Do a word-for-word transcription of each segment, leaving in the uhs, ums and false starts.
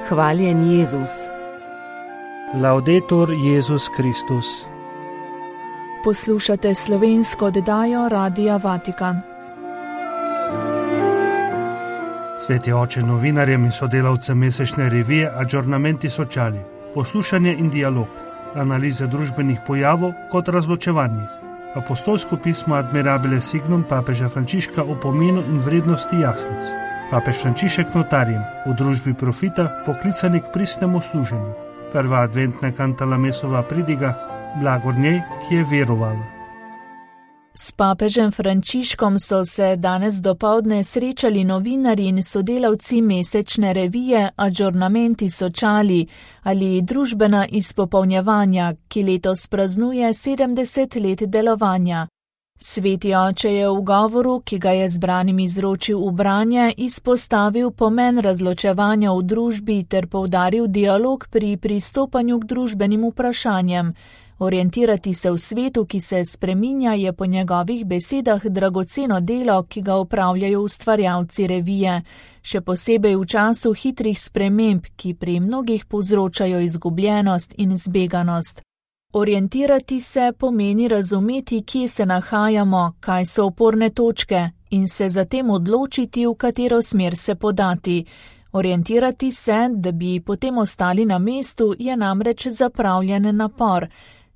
Hvaljen Jezus. Laudetur Jezus Kristus. Poslušate slovensko oddajo Radia Vatikan. Sveti oče novinarjem in sodelavcem mesečne revije Aggiornamenti Sociali. Poslušanje in dialog. Analize družbenih pojavov kot razločevanje. Apostolsko pismo Admirabile Signum papeža Frančiška o pomenu in vrednosti jaslic. Papež Frančišek notarjem v družbi profita poklicani k pristnemu služenju. Prva adventna kantalamesova pridiga, blagor njej, ki je verovala. S papežem Frančiškom so se danes dopoldne srečali novinarji in sodelavci mesečne revije Aggiornamenti Sociali ali družbena izpopolnjevanja, ki letos praznuje sedemdeset let delovanja. Sveti oče je v govoru, ki ga je zbranim izročil v branje, izpostavil pomen razločevanja v družbi ter poudaril dialog pri pristopanju k družbenim vprašanjem. Orientirati se v svetu, ki se spreminja, je po njegovih besedah dragoceno delo, ki ga upravljajo ustvarjalci revije, še posebej v času hitrih sprememb, ki pri mnogih povzročajo izgubljenost in zbeganost. Orientirati se pomeni razumeti, kje se nahajamo, kaj so oporne točke in se zatem odločiti, v katero smer se podati. Orientirati se, da bi potem ostali na mestu, je namreč zapravljen napor.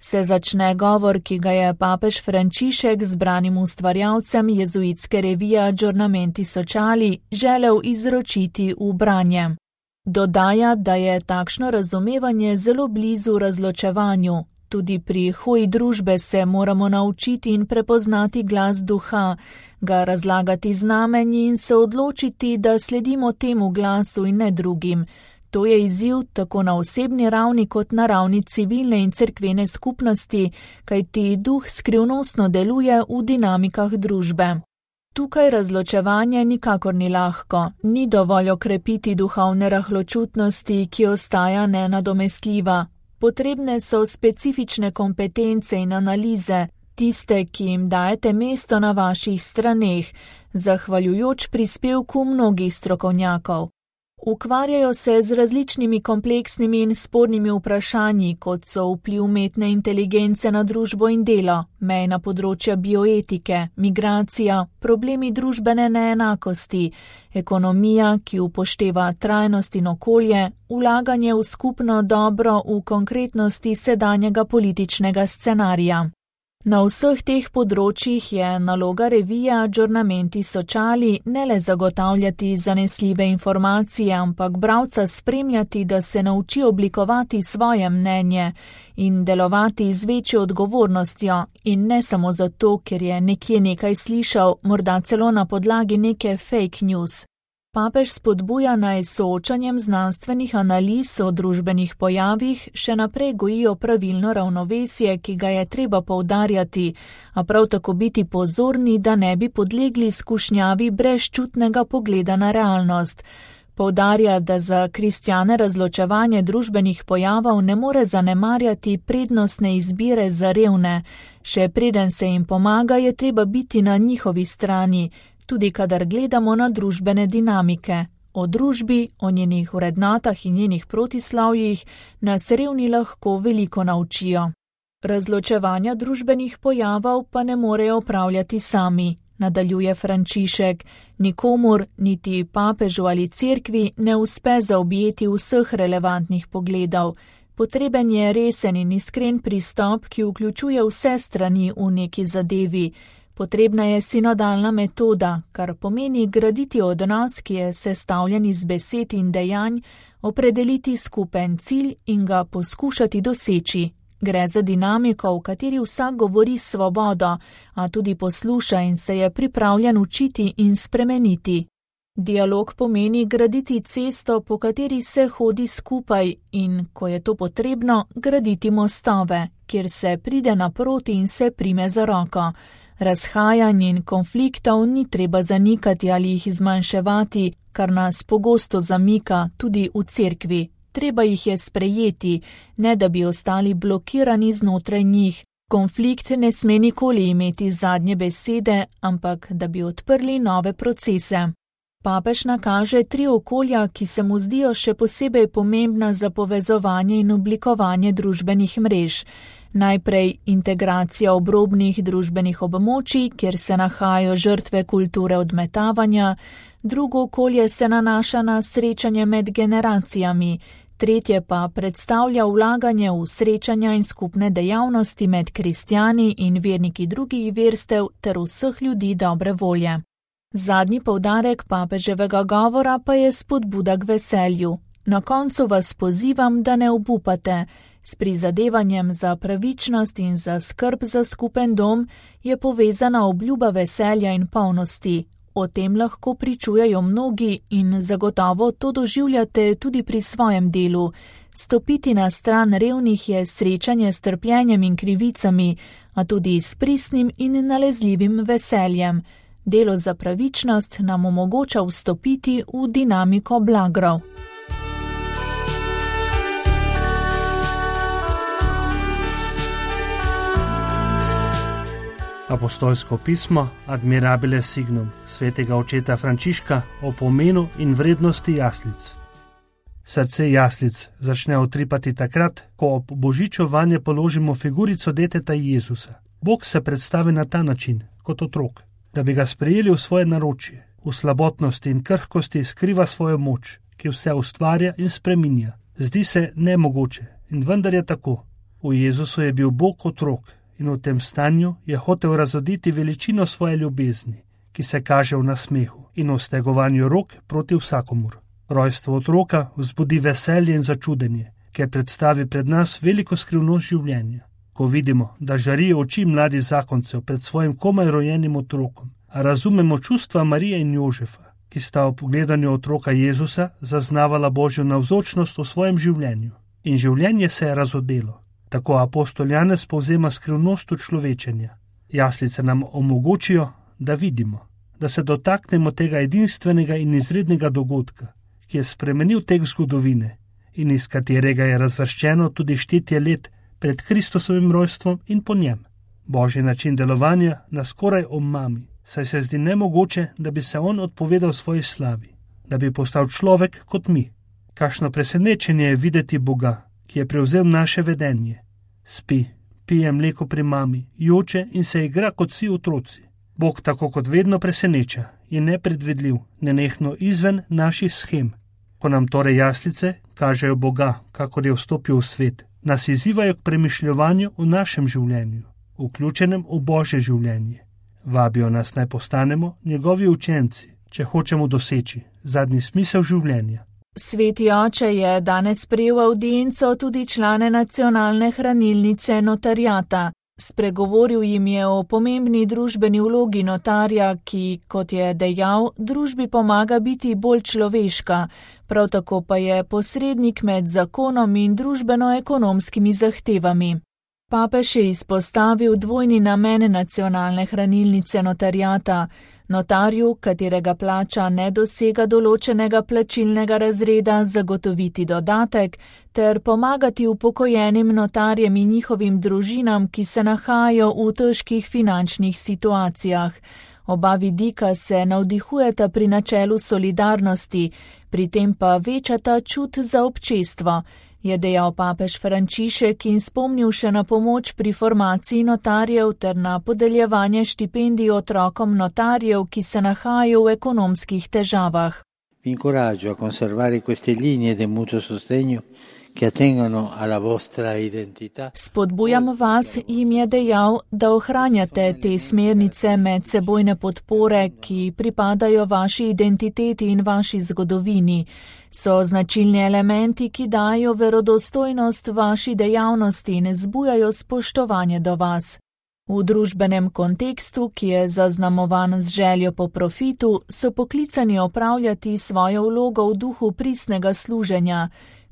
Se začne govor, ki ga je papež Frančišek zbranim ustvarjalcem jezuitske revije Aggiornamenti Sociali želel izročiti v branje. Dodaja, da je takšno razumevanje zelo blizu razločevanju. Tudi pri hoji družbe se moramo naučiti in prepoznati glas duha, ga razlagati znamenji in se odločiti, da sledimo temu glasu in ne drugim. To je izziv tako na osebni ravni kot na ravni civilne in cerkvene skupnosti, kajti duh skrivnostno deluje v dinamikah družbe. Tukaj razločevanje nikakor ni lahko, ni dovolj okrepiti duhovne rahločutnosti, ki ostaja nenadomestljiva. Potrebne so specifične kompetence in analize, tiste, ki jim dajete mesto na vaših straneh, zahvaljujoč prispevku mnogih strokovnjakov. Ukvarjajo se z različnimi kompleksnimi in spornimi vprašanji, kot so vpliv umetne inteligence na družbo in delo, mejna področja bioetike, migracija, problemi družbene neenakosti, ekonomija, ki upošteva trajnost in okolje, vlaganje v skupno dobro v konkretnosti sedanjega političnega scenarija. Na vseh teh področjih je naloga revije Aggiornamenti Sociali ne le zagotavljati zanesljive informacije, ampak bralca spremljati, da se nauči oblikovati svoje mnenje in delovati z večjo odgovornostjo in ne samo zato, ker je nekje nekaj slišal, morda celo na podlagi neke fake news. Papež spodbuja naj soočanjem znanstvenih analiz o družbenih pojavih še naprej gojijo pravilno ravnovesje, ki ga je treba poudarjati, a prav tako biti pozorni, da ne bi podlegli skušnjavi brezčutnega pogleda na realnost. Poudarja, da za kristjane razločevanje družbenih pojavov ne more zanemarjati prednostne izbire za revne. Še preden se jim pomaga, je treba biti na njihovi strani, tudi kadar gledamo na družbene dinamike. O družbi, o njenih vrednotah in njenih protislavjih nas revni lahko veliko naučijo. Razločevanja družbenih pojavov pa ne morejo opravljati sami, nadaljuje Frančišek. Nikomur, niti papežu ali cerkvi, ne uspe zaobjeti vseh relevantnih pogledov. Potreben je resen in iskren pristop, ki vključuje vse strani v neki zadevi. Potrebna je sinodalna metoda, kar pomeni graditi odnos, ki je sestavljen iz besed in dejanj, opredeliti skupen cilj in ga poskušati doseči. Gre za dinamiko, v kateri vsak govori s svobodo, a tudi posluša in se je pripravljen učiti in spremeniti. Dialog pomeni graditi cesto, po kateri se hodi skupaj in, ko je to potrebno, graditi mostove, kjer se pride naproti in se prime za roko. Razhajanj in konfliktov ni treba zanikati ali jih zmanjševati, kar nas pogosto zamika tudi v cerkvi. Treba jih je sprejeti, ne da bi ostali blokirani znotraj njih. Konflikt ne sme nikoli imeti zadnje besede, ampak da bi odprli nove procese. papež nakaže tri okolja, ki se mu zdijo še posebej pomembna za povezovanje in oblikovanje družbenih mrež. Najprej integracija obrobnih družbenih območij, kjer se nahajajo žrtve kulture odmetavanja, drugo okolje se nanaša na srečanje med generacijami, tretje pa predstavlja vlaganje v srečanja in skupne dejavnosti med kristjani in verniki drugih verstev ter vseh ljudi dobre volje. Zadnji poudarek papeževega govora pa je spodbuda k veselju. Na koncu vas pozivam, da ne obupate. S prizadevanjem za pravičnost in za skrb za skupen dom je povezana obljuba veselja in polnosti. O tem lahko pričujejo mnogi in zagotovo to doživljate tudi pri svojem delu. Stopiti na stran revnih je srečanje s trpljenjem in krivicami, a tudi s pristnim in nalezljivim veseljem. Delo za pravičnost nam omogoča vstopiti v dinamiko blagrov. Apostolsko pismo Admirabile Signum svetega očeta Frančiška o pomenu in vrednosti jaslic. Srce jaslic začne utripati takrat, ko ob božiču vanje položimo figurico deteta Jezusa. Bog se predstavi na ta način, kot otrok, da bi ga sprejeli v svoje naročje. V slabotnosti in krhkosti skriva svojo moč, ki vse ustvarja in spreminja. Zdi se nemogoče in vendar je tako. V Jezusu je bil Bog otrok in v tem stanju je hotel razoditi veličino svoje ljubezni, ki se kaže v nasmehu in v stegovanju rok proti vsakomur. Rojstvo otroka vzbudi veselje in začudenje, ker predstavi pred nas veliko skrivnost življenja. Ko vidimo, da žarijo oči mladih zakoncev pred svojim komaj rojenim otrokom, a razumemo čustva Marije in Jožefa, ki sta ob pogledanju otroka Jezusa zaznavala Božjo navzočnost v svojem življenju. In življenje se je razodelo. Tako apostol Janez povzema skrivnost človečenja. Jaslice nam omogočijo, da vidimo, da se dotaknemo tega edinstvenega in izrednega dogodka, ki je spremenil tek zgodovine in iz katerega je razvrščeno tudi štetje let pred Kristusovim rojstvom in po njem. Božji način delovanja nas skoraj omami, saj se zdi nemogoče, da bi se on odpovedal svoji slavi, da bi postal človek kot mi. Kakšno presenečenje je videti Boga, ki je prevzel naše vedenje. Spi, pije mleko pri mami, joče in se igra kot vsi otroci. Bog tako kot vedno preseneča, je nepredvidljiv, nenehno izven naših shem. Ko nam torej jaslice kažejo Boga, kakor je vstopil v svet, nas izzivajo k premišljovanju v našem življenju, vključenem v Božje življenje. Vabijo nas naj postanemo njegovi učenci, če hočemo doseči zadnji smisel življenja. Sveti oče je danes sprejel v audienco tudi člane nacionalne hranilnice notariata. Spregovoril jim je o pomembni družbeni vlogi notarja, ki, kot je dejal, družbi pomaga biti bolj človeška, prav tako pa je posrednik med zakonom in družbeno-ekonomskimi zahtevami. Papež je izpostavil dvojni namen nacionalne hranilnice notariata. Notarju, katerega plača ne dosega določenega plačilnega razreda, zagotoviti dodatek ter pomagati upokojenim notarjem in njihovim družinam, ki se nahajajo v težkih finančnih situacijah. Oba vidika se navdihujeta pri načelu solidarnosti, pri tem pa večata čut za občestvo, je dejal papež Frančišek in spomnil še na pomoč pri formaciji notarjev ter na podeljevanje štipendij otrokom notarjev, ki se nahajajo v ekonomskih težavah. Vi incoraggio a conservare queste linee di mutuo sostegno che attengono alla vostra identità. Spodbujam vas, jim je dejal, da ohranjate te smernice medsebojne podpore, ki pripadajo vaši identiteti in vaši zgodovini. So značilni elementi, ki dajo verodostojnost vaši dejavnosti in zbujajo spoštovanje do vas. V družbenem kontekstu, ki je zaznamovan z željo po profitu, so poklicani opravljati svojo vlogo v duhu pristnega služenja.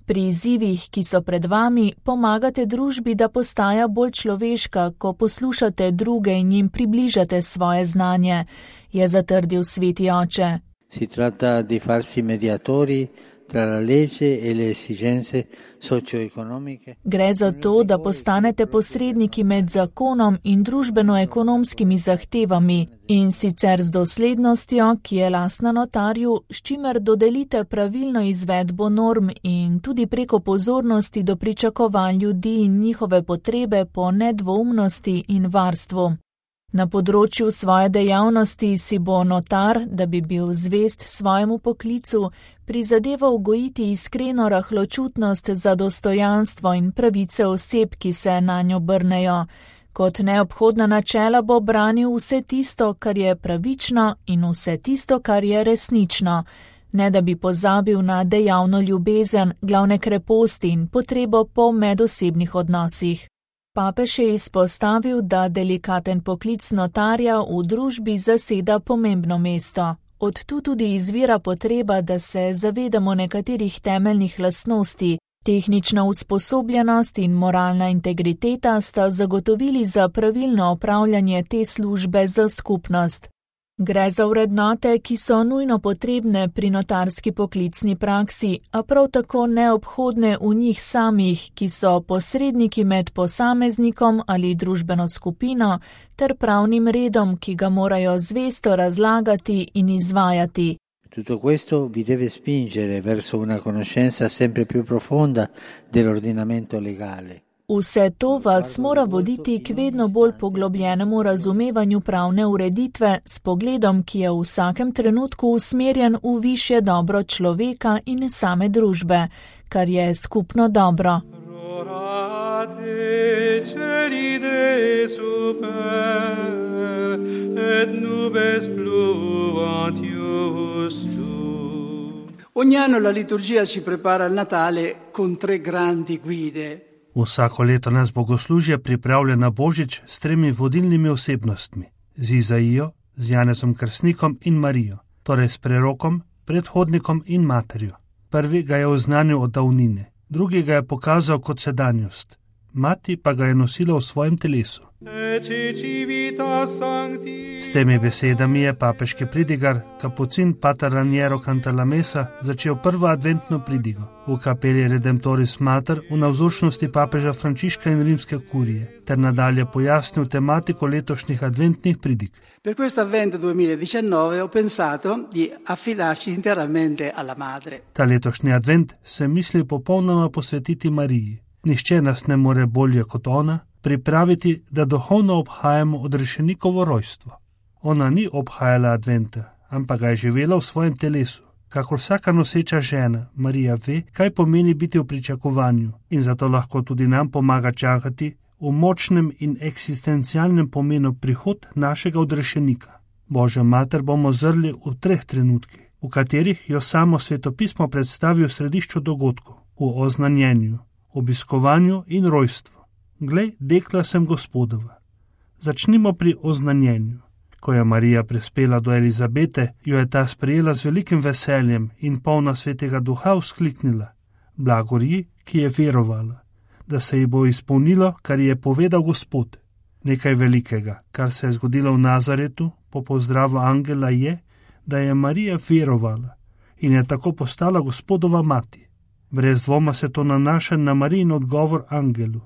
Pri izzivih, ki so pred vami, pomagate družbi, da postaja bolj človeška, ko poslušate druge in jim približate svoje znanje, je zatrdil sveti oče. Si tratta di farsi mediatori tra la legge e le esigenze socio-economiche. Gre za to, da postanete posredniki med zakonom in družbeno-ekonomskimi zahtevami in sicer z doslednostjo, ki je lastna notarju, s čimer dodelite pravilno izvedbo norm in tudi preko pozornosti do pričakovanj ljudi in njihove potrebe po nedvoumnosti in varstvu. Na področju svoje dejavnosti si bo notar, da bi bil zvest svojemu poklicu, prizadeval gojiti iskreno rahločutnost za dostojanstvo in pravice oseb, ki se nanjo obrnejo. Kot neobhodna načela bo branil vse tisto, kar je pravično in vse tisto, kar je resnično, ne da bi pozabil na dejavno ljubezen, glavne kreposti in potrebo po medosebnih odnosih. Papež je izpostavil, da delikaten poklic notarja v družbi zaseda pomembno mesto. Od tu tudi izvira potreba, da se zavedamo nekaterih temeljnih lastnosti. Tehnična usposobljenost in moralna integriteta sta zagotovili za pravilno opravljanje te službe za skupnost. Gre za vrednote, ki so nujno potrebne pri notarski poklicni praksi, a prav tako neobhodne v njih samih, ki so posredniki med posameznikom ali družbeno skupino, ter pravnim redom, ki ga morajo zvesto razlagati in izvajati. Tutto questo vi deve spingere verso una conoscenza sempre più profonda dell'ordinamento legale. Vse to vas mora voditi k vedno bolj poglobljenemu razumevanju pravne ureditve s pogledom, ki je v vsakem trenutku usmerjen v višje dobro človeka in same družbe, kar je skupno dobro. Ogni anno la liturgia ci prepara al Natale con tre grandi guide. Vsako leto nas bogoslužje pripravlja na Božič s tremi vodilnimi osebnostmi, z Izaijo, z Janezom Krstnikom in Marijo, torej s prerokom, predhodnikom in materjo. Prvi ga je oznanil od davnine, drugi ga je pokazal kot sedanjost, mati pa ga je nosila v svojem telesu. S temi besedami je papeški pridigar, kapucin pater Raniero Cantalamessa, začel prvo adventno pridigo v kapeli Redemptoris Mater v navzočnosti papeža Frančiška in rimske kurije, ter nadalje pojasnil tematiko letošnjih adventnih pridig. Per questo avvento duemiladiciannove ho pensato di affidarci interamente alla madre. Ta letošnji advent se misli popolnoma posvetiti Mariji. Nihče nas ne more bolje kot ona pripraviti, da duhovno obhajamo odrešenikovo rojstvo. Ona ni obhajala adventa, ampak ga je živela v svojem telesu. Kakor vsaka noseča žena, Marija ve, kaj pomeni biti v pričakovanju in zato lahko tudi nam pomaga čakati v močnem in eksistencialnem pomenu prihod našega odrešenika. Božja mater bomo zrli v treh trenutkih, v katerih jo samo svetopismo predstavi v središču dogodkov, v oznanjenju, obiskovanju in rojstvu. Glej, dekla sem Gospodova. Začnimo pri oznanjenju. Ko je Marija prispela do Elizabete, jo je ta sprejela z velikim veseljem in polna svetega duha vzkliknila: blagor ji, ki je verovala, da se ji bo izpolnilo, kar ji je povedal Gospod. Nekaj velikega, kar se je zgodilo v Nazaretu po pozdravu angela, je, da je Marija verovala in je tako postala Gospodova mati. Brez dvoma se to nanaša na Marijin odgovor angelu: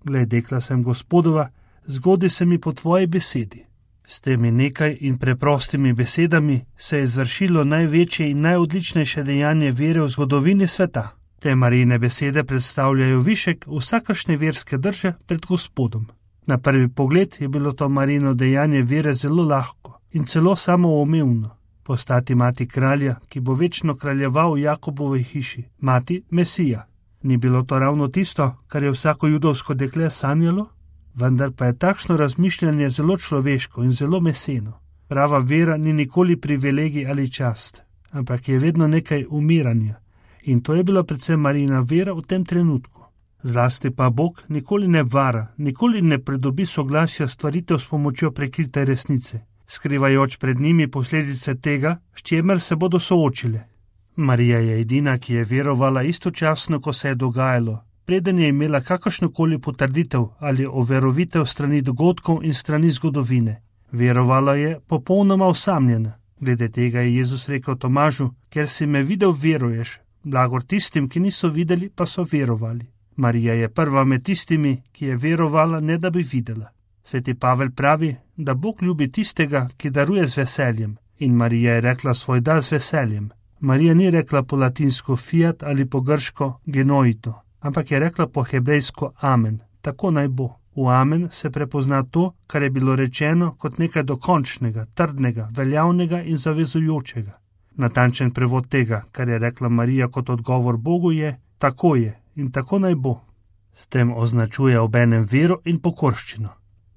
glej, dekla sem Gospodova, zgodi se mi po tvoji besedi. S temi nekaj in preprostimi besedami se je izvršilo največje in najodličnejše dejanje vere v zgodovini sveta. Te Marijine besede predstavljajo višek vsakršne verske drže pred Gospodom. Na prvi pogled je bilo to Marijino dejanje vere zelo lahko in celo samoumevno. Postati mati kralja, ki bo večno kraljeval v Jakobovi hiši, mati Mesija. Ni bilo to ravno tisto, kar je vsako judovsko dekle sanjalo? Vendar pa je takšno razmišljanje zelo človeško in zelo meseno. Prava vera ni nikoli privilegij ali čast, ampak je vedno nekaj umiranja. In to je bila predvsem Marijina vera v tem trenutku. Zlasti pa Bog nikoli ne vara, nikoli ne pridobi soglasja stvaritev s pomočjo prekrite resnice, skrivajoč pred njimi posledice tega, s čimer se bodo soočile. Marija je edina, ki je verovala istočasno, ko se je dogajalo, preden je imela kakršnokoli potrditev ali overovitev strani dogodkov in strani zgodovine. Verovala je popolnoma osamljena. Glede tega je Jezus rekel Tomažu: ker si me videl, veruješ. blagor tistim, ki niso videli, pa so verovali. Marija je prva med tistimi, ki je verovala, ne da bi videla. Sveti Pavel pravi, da Bog ljubi tistega, ki daruje z veseljem, in Marija je rekla svoj da z veseljem. Marija ni rekla po latinsko fiat ali po grško genoito, ampak je rekla po hebrejsko amen, tako naj bo. V amen se prepozna to, kar je bilo rečeno kot nekaj dokončnega, trdnega, veljavnega in zavezujočega. Natančen prevod tega, kar je rekla Marija kot odgovor Bogu, je tako je in tako naj bo. S tem označuje obenem vero in pokorščino.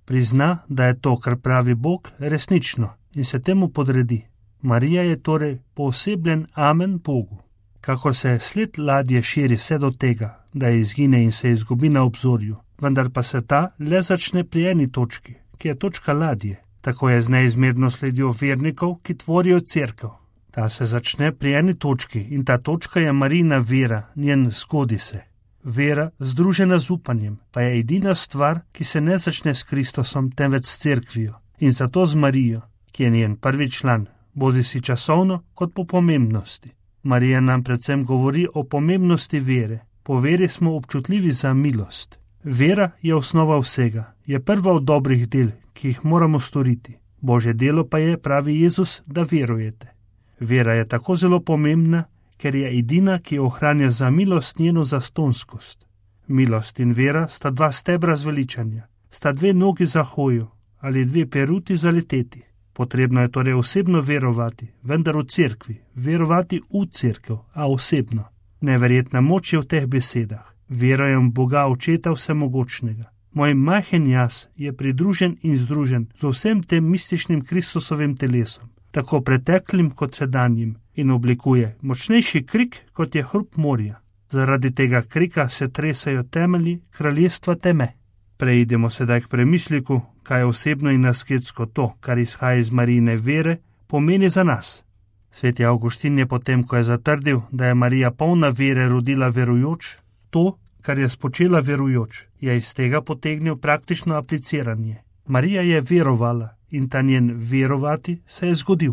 Prizna, da je to, kar pravi Bog, resnično in se temu podredi. Marija je torej poosebljen amen Bogu. Kako se sled ladje širi vse do tega, da izgine in se izgubi na obzorju, vendar pa se ta le začne pri eni točki, ki je točka ladje. Tako je z neizmerno sledjo vernikov, ki tvorijo cerkev. Ta se začne pri eni točki in ta točka je Marijina vera, njen zgodi se. Vera, združena z upanjem, pa je edina stvar, ki se ne začne s Kristusom, temveč s cerkvijo. In zato z Marijo, ki je njen prvi član, bodi si časovno kot po pomembnosti. Marija nam predvsem govori o pomembnosti vere. Po veri smo občutljivi za milost. Vera je osnova vsega, je prva od dobrih del, ki jih moramo storiti. Božje delo pa je, pravi Jezus, da verujete. Vera je tako zelo pomembna, ker je edina, ki ohranja za milost njeno zastonskost. Milost in vera sta dva stebra zveličanja, sta dve nogi za hojo ali dve peruti za leteti. Potrebno je torej osebno verovati, vendar v cerkvi, verovati v cerkev, a osebno. Neverjetna moč je v teh besedah. Verujem Boga Očeta Vsemogočnega. Moj majhen jaz je pridružen in združen z vsem tem mističnim Kristusovim telesom, tako preteklim kot sedanjim, in oblikuje močnejši krik, kot je hrup morja. Zaradi tega krika se tresajo temelji kraljestva teme. Preidemo sedaj k premisliku, kaj osebno in asketsko to, kar izhaja iz Marijine vere, pomeni za nas. Sveti Avguštin je potem, ko je zatrdil, da je Marija polna vere rodila verujoč, to, kar je spočela verujoč, je iz tega potegnil praktično apliciranje. Marija je verovala in ta njen verovati se je zgodil.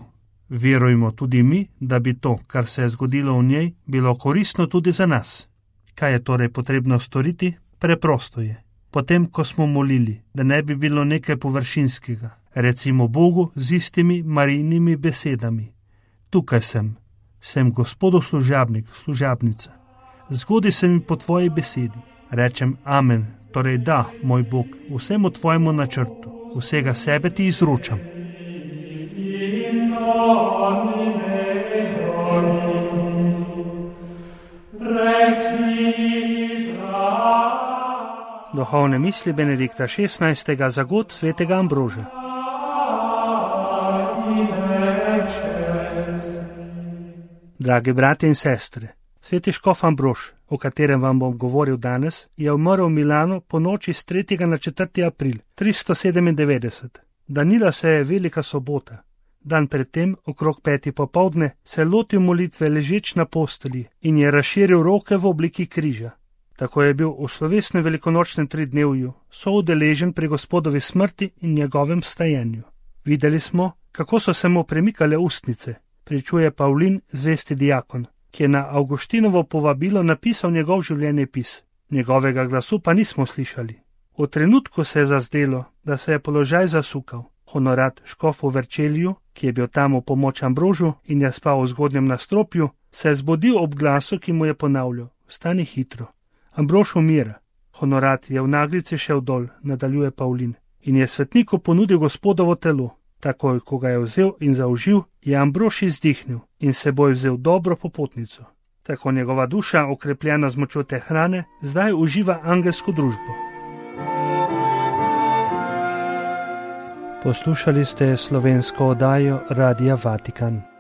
Verujmo tudi mi, da bi to, kar se je zgodilo v njej, bilo koristno tudi za nas. Kaj je torej potrebno storiti? Preprosto je. Potem, ko smo molili, da ne bi bilo nekaj površinskega, recimo Bogu z istimi Marijinimi besedami. Tukaj sem, sem Gospodov služabnik, služabnica. Zgodi se mi po tvoji besedi. Rečem amen, torej da, moj Bog, vsemu tvojemu načrtu, vsega sebe ti izročam. Duhovne misli Benedikta šestnajstega za god svetega Ambroža. Dragi bratje in sestre, sveti škof Ambrož, o katerem vam bom govoril danes, je umrl v Milanu po noči s tretjega na četrti april tristo sedemindevetdeset. Danila se je velika sobota. Dan predtem, okrog peti popoldne, se je lotil molitve ležeč na postelji in je razširil roke v obliki križa. Tako je bil v slovesnem velikonočnem tridnevju soudeležen pri Gospodovi smrti in njegovem vstajenju. Videli smo, kako so se mu premikale ustnice, pričuje Pavlin, zvesti diakon, ki je na Avguštinovo povabilo napisal njegov življenjepis. Njegovega glasu pa nismo slišali. V trenutku se je zazdelo, da se je položaj zasukal. Honorat škof v Verčelju, ki je bil tam v pomoč Ambrožu in je spal v zgodnjem nastropju, se je zbudil ob glasu, ki mu je ponavljal: "Vstani hitro." Ambrož umira. Honorat je v naglici šel dol, nadaljuje Pavlin, in je svetniku ponudil Gospodovo telo. Takoj, ko ga je vzel in zaužil, je Ambrož izdihnil in seboj vzel dobro popotnico. Tako njegova duša, okrepljena z močjo te hrane, zdaj uživa angelsko družbo. Poslušali ste slovensko oddajo Radia Vatikan.